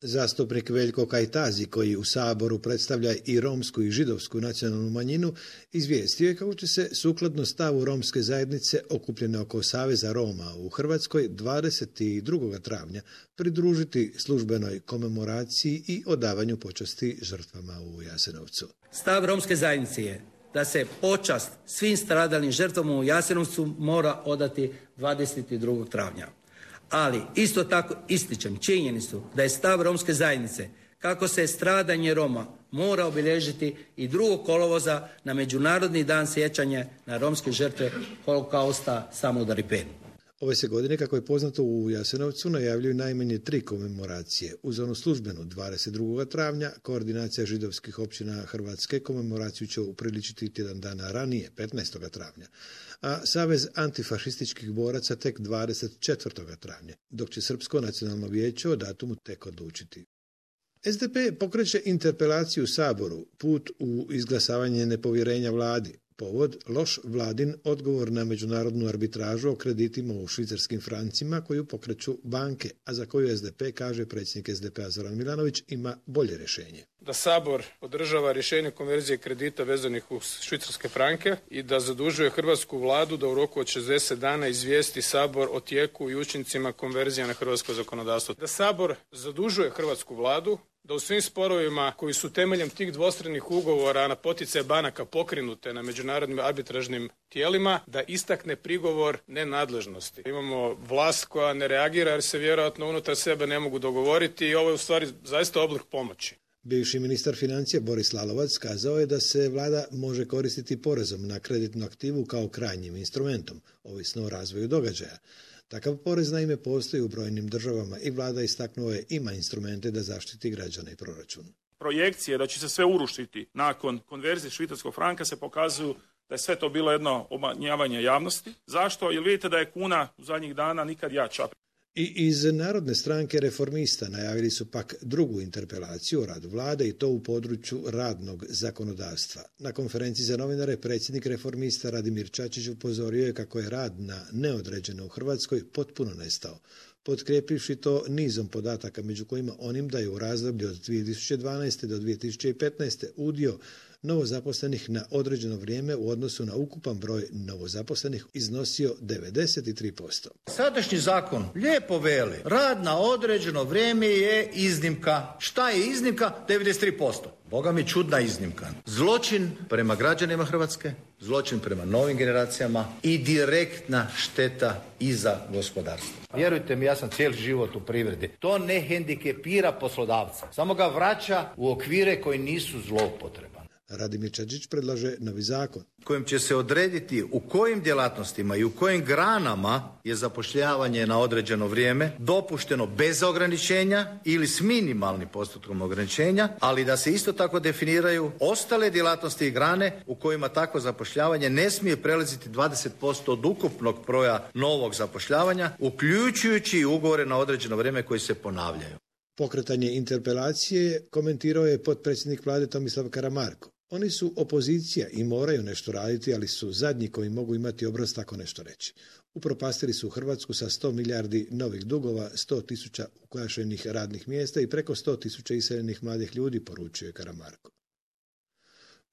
Zastupnik Veljko Kajtazi, koji u Saboru predstavlja i romsku i židovsku nacionalnu manjinu, izvijestio je kako će se sukladno stavu romske zajednice okupljene oko Saveza Roma u Hrvatskoj 22. travnja pridružiti službenoj komemoraciji i odavanju počasti žrtvama u Jasenovcu. Stav romske zajednice je da se počast svim stradalim žrtvama u Jasenovcu mora odati 22. travnja. Ali isto tako ističem činjenicu da je stav romske zajednice kako se stradanje Roma mora obilježiti i 2. kolovoza na Međunarodni dan sjećanja na romske žrtve holokausta Samudar i Pen. Ove se godine, kako je poznato, u Jasenovcu najavljuju najmanje 3 komemoracije. Uz onu službenu 22. travnja, koordinacija židovskih općina Hrvatske komemoraciju će upriličiti tjedan dana ranije, 15. travnja, a Savez antifašističkih boraca tek 24. travnja, dok će Srpsko nacionalno vijeće o datumu tek odlučiti. SDP pokreće interpelaciju u Saboru, put u izglasavanje nepovjerenja vladi. Povod, loš vladin odgovor na međunarodnu arbitražu o kreditima u švicarskim francima koju pokreću banke, a za koju SDP, kaže predsjednik SDP-a Zoran Milanović, ima bolje rješenje. Da Sabor podržava rješenje konverzije kredita vezanih u švicarske franke i da zadužuje hrvatsku vladu da u roku od 60 dana izvijesti Sabor o tijeku i učincima konverzija na hrvatsko zakonodavstvo. Da Sabor zadužuje hrvatsku vladu da u svim sporovima koji su temeljem tih dvostranih ugovora na poticaj banaka pokrenute na međunarodnim arbitražnim tijelima, da istakne prigovor nenadležnosti. Imamo vlast koja ne reagira jer se vjerojatno unutar sebe ne mogu dogovoriti i ovo je u stvari zaista oblik pomoći. Bivši ministar financija Boris Lalovac kazao je da se vlada može koristiti porezom na kreditnu aktivu kao krajnjim instrumentom, ovisno o razvoju događaja. Takav porez naime postoji u brojnim državama i vlada istaknuo je ima instrumente da zaštiti građane i proračun. Projekcije da će se sve urušiti nakon konverzije švicarskog franka se pokazuju da je sve to bilo jedno obmanjavanje javnosti. Zašto? Jer vidite da je kuna u zadnjih dana nikad jača. I iz Narodne stranke Reformista najavili su pak drugu interpelaciju o radu vlade i to u području radnog zakonodavstva. Na konferenciji za novinare predsjednik Reformista Radimir Čačić upozorio je kako je rad na neodređeno u Hrvatskoj potpuno nestao, potkrijepivši to nizom podataka među kojima onim da je u razdoblju od 2012. do 2015. udio novozaposlenih na određeno vrijeme u odnosu na ukupan broj novozaposlenih iznosio 93%. Sadašnji zakon lijepo veli, rad na određeno vrijeme je iznimka. Šta je iznimka? 93%. Boga mi čudna iznimka. Zločin prema građanima Hrvatske, zločin prema novim generacijama i direktna šteta i za gospodarstvo. Vjerujte mi, ja sam cijeli život u privredi. To ne hendikepira poslodavca, samo ga vraća u okvire koji nisu zloupotreban. Radimir Čačić predlaže novi zakon kojim će se odrediti u kojim djelatnostima i u kojim granama je zapošljavanje na određeno vrijeme dopušteno bez ograničenja ili s minimalnim postotkom ograničenja, ali da se isto tako definiraju ostale djelatnosti i grane u kojima takvo zapošljavanje ne smije prelaziti 20% od ukupnog broja novog zapošljavanja, uključujući i ugovore na određeno vrijeme koji se ponavljaju. Pokretanje interpelacije komentirao je potpredsjednik vlade Tomislav Karamarko. Oni su opozicija i moraju nešto raditi, ali su zadnji koji mogu imati obraz tako nešto reći. Upropastili su Hrvatsku sa 100 milijardi novih dugova, 100.000 ugašenih radnih mjesta i preko 100.000 iseljenih mladih ljudi, poručuje Karamarko.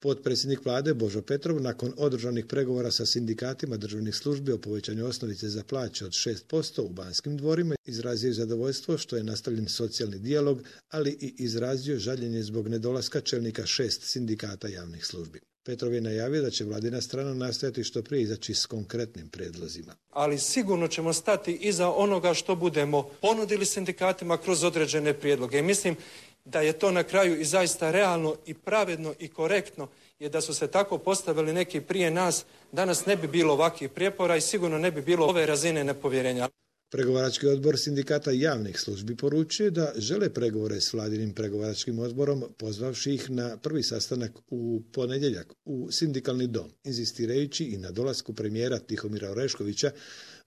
Potpredsjednik vlade Božo Petrov nakon održanih pregovora sa sindikatima državnih službi o povećanju osnovice za plaće od 6% u Banskim dvorima izrazio zadovoljstvo što je nastavljen socijalni dijalog, ali i izrazio žaljenje zbog nedolaska čelnika 6 sindikata javnih službi. Petrov je najavio da će vladina strana nastojati što prije izaći s konkretnim prijedlozima. Ali sigurno ćemo stati iza onoga što budemo ponudili sindikatima kroz određene prijedloge. I mislim da je to na kraju i zaista realno i pravedno i korektno, jer da su se tako postavili neki prije nas, danas ne bi bilo ovakvih prijepora i sigurno ne bi bilo ove razine nepovjerenja. Pregovarački odbor sindikata javnih službi poručuje da žele pregovore s vladinim pregovaračkim odborom, pozvavši ih na prvi sastanak u ponedjeljak u sindikalni dom, inzistirajući i na dolasku premijera Tihomira Oreškovića,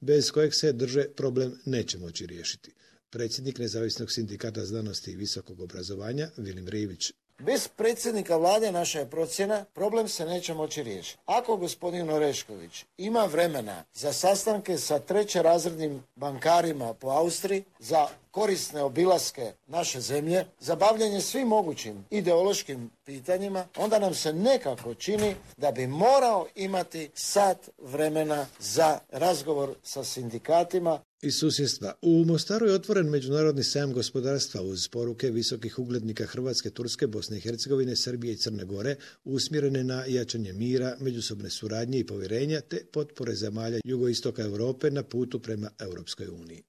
bez kojeg se drže problem neće moći riješiti. Predsjednik Nezavisnog sindikata znanosti i visokog obrazovanja Vilim Rivić. Bez predsjednika vlade, naša je procjena, problem se neće moći riješiti. Ako gospodin Orešković ima vremena za sastanke sa trećerazrednim bankarima po Austriji, za korisne obilaske naše zemlje, za bavljanje svim mogućim ideološkim pitanjima, onda nam se nekako čini da bi morao imati sat vremena za razgovor sa sindikatima. Iz susjedstva. U Mostaru je otvoren međunarodni sajam gospodarstva uz poruke visokih uglednika Hrvatske, Turske, Bosne i Hercegovine, Srbije i Crne Gore, usmjerene na jačanje mira, međusobne suradnje i povjerenja te potpore zemalja jugoistoka Europe na putu prema Europskoj uniji.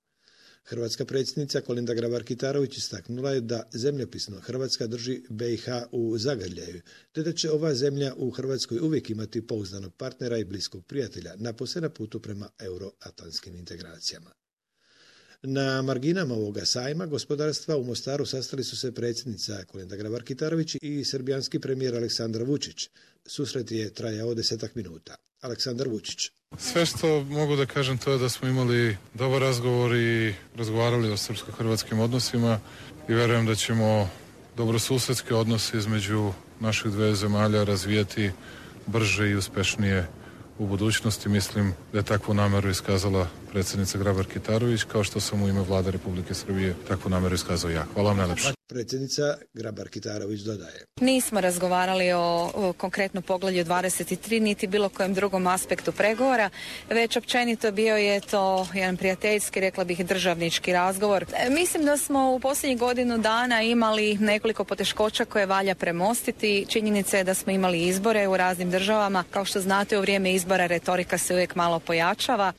Hrvatska predsjednica Kolinda Grabar-Kitarović istaknula je da zemljopisno Hrvatska drži BiH u zagrljaju, te da će ova zemlja u Hrvatskoj uvijek imati pouzdanog partnera i bliskog prijatelja, napose na putu prema euroatlantskim integracijama. Na marginama ovoga sajma gospodarstva u Mostaru sastali su se predsjednica Kolinda Grabar-Kitarović i srbijanski premijer Aleksandar Vučić. Susret je trajao 10 minuta. Aleksandar Vučić. Sve što mogu da kažem to je da smo imali dobar razgovor i razgovarali o srpsko-hrvatskim odnosima i verujem da ćemo dobrosusedske odnose između naših dve zemalja razvijati brže i uspešnije u budućnosti. Mislim da je takvu nameru iskazala predsjednica Grabar-Kitarović, kao što sam u ime Vlade Republike Srbije takvu nameru iskazao ja. Hvala vam najlepše. Predsjednica Grabar-Kitarović dodaje. Nismo razgovarali o konkretno poglavlju 23, niti bilo kojem drugom aspektu pregovora, već općenito bio je to jedan prijateljski, rekla bih, državnički razgovor. Mislim da smo u posljednjih godinu dana imali nekoliko poteškoća koje valja premostiti. Činjenica je da smo imali izbore u raznim državama. Kao što znate, u vrijeme izbora retorika se uvijek malo pojačava.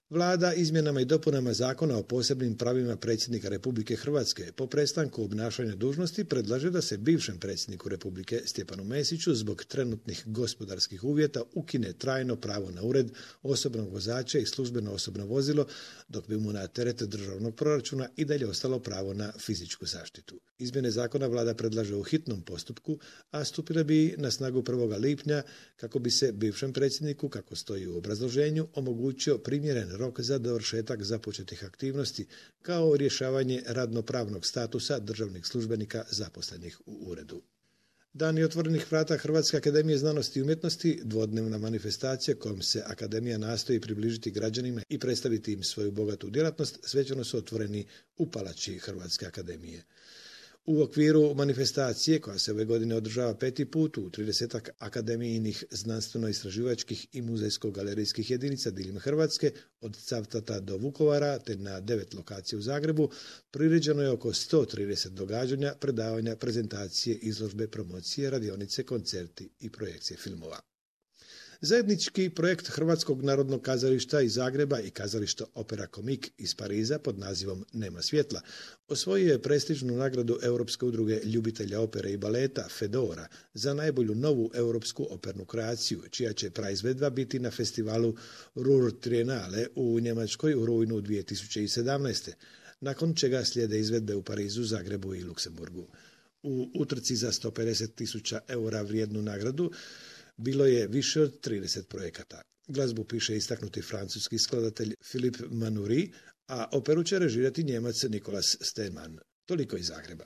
Vlada izmjenama i dopunama zakona o posebnim pravima predsjednika Republike Hrvatske po prestanku obnašanja dužnosti predlaže da se bivšem predsjedniku Republike Stjepanu Mesiću zbog trenutnih gospodarskih uvjeta ukine trajno pravo na ured, osobnog vozača i službeno osobno vozilo, dok bi mu na teret državnog proračuna i dalje ostalo pravo na fizičku zaštitu. Izmjene zakona vlada predlaže u hitnom postupku, a stupile bi na snagu 1. lipnja kako bi se bivšem predsjedniku, kako stoji u obrazloženju, omogućio primjeren rok za dovršetak započetih aktivnosti, kao rješavanje radnopravnog statusa državnih službenika zaposlenih u uredu. Dani otvorenih vrata Hrvatske akademije znanosti i umjetnosti, dvodnevna manifestacija kojom se akademija nastoji približiti građanima i predstaviti im svoju bogatu djelatnost, svečano su otvoreni u palači Hrvatske akademije. U okviru manifestacije, koja se ove godine održava 5. put u 30 akademijinih znanstveno-istraživačkih i muzejsko-galerijskih jedinica diljem Hrvatske, od Cavtata do Vukovara, te na 9 lokacija u Zagrebu, priređeno je oko 130 događanja, predavanja, prezentacije, izložbe, promocije, radionice, koncerti i projekcije filmova. Zajednički projekt Hrvatskog narodnog kazališta iz Zagreba i kazališta Opera Comique iz Pariza pod nazivom Nema svjetla osvojio je prestižnu nagradu Europske udruge ljubitelja opere i baleta Fedora za najbolju novu europsku opernu kreaciju, čija će praizvedba biti na festivalu Ruhr Triennale u Njemačkoj u rujnu 2017. Nakon čega slijede izvedbe u Parizu, Zagrebu i Luksemburgu. U utrci za 150.000 eura vrijednu nagradu bilo je više od 30 projekata. Glazbu piše istaknuti francuski skladatelj Philippe Manoury, a operu će režirati Njemac Nicolas Stenman. Toliko iz Zagreba.